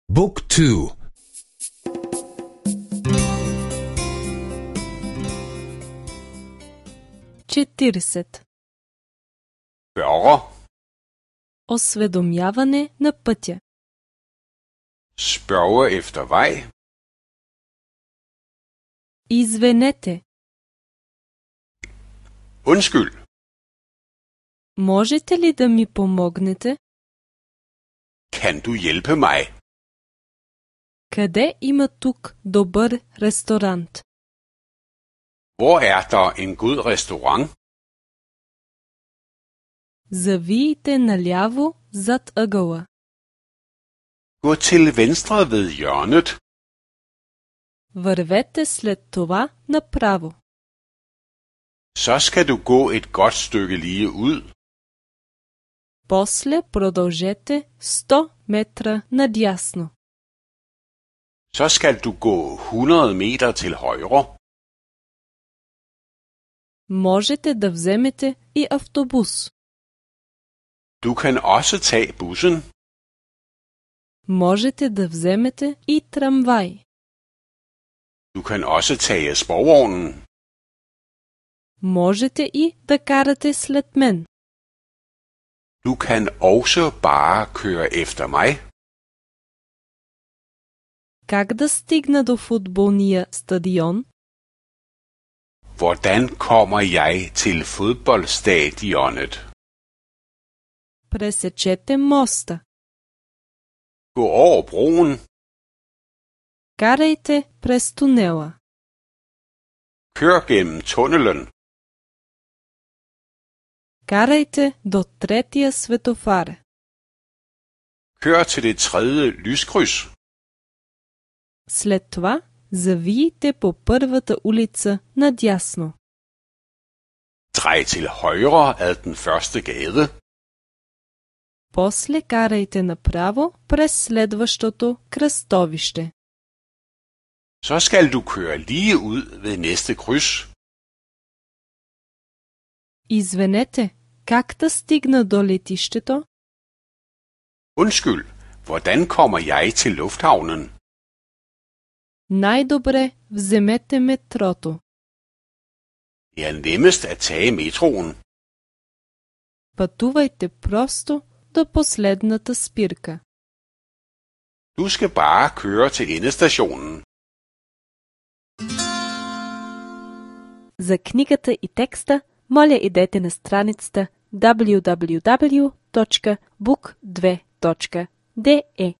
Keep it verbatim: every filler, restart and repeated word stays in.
Book two. четиридесет. Spørger. Осведомяване на пътя. Spørge efter vej. Извинете. Undskyld. Можете ли да ми помогнете? Kan du hjælpe mig? Къде има тук добър ресторант? Hvor er der en god restaurant? Завийте наляво зад ъгъла. Gå til venstre ved hjørnet. Вървете след това направо. Så skal du gå et godt stykke lige ud. После продължете сто метра надясно. Så skal du gå hundrede meter til højre. Можете да вземете и автобус. Du kan også tage bussen. Можете да вземете и трамвай. Du kan også tage sporvognen. Можете и да карате след мен. Du kan også bare køre efter mig. Как да стигна до футболния стадион? Hvordan kommer jeg til fodboldstadionet? Пресечете моста. Gå over broen. Карайте през тунела. Kør gennem tunnelen. Карайте до третия светофар. Kør til det tredje lyskryds. След това завийте по първата улица надясно. Drej til højre ad den første gade. После карайте направо през следващото кръстовище. Så skal du køre lige ud ved næste kryds. Извинете, как да стигна до летището? Undskyld, hvordan kommer jeg til lufthavnen? Най-добре вземете метрото. Det er nemmest at tage metroen. Пътувайте просто до последната спирка. Du skal bare køre til endestationen. За книгата и текста, моля идете на страницата дабъл ю дабъл ю дабъл ю точка бук две точка де е.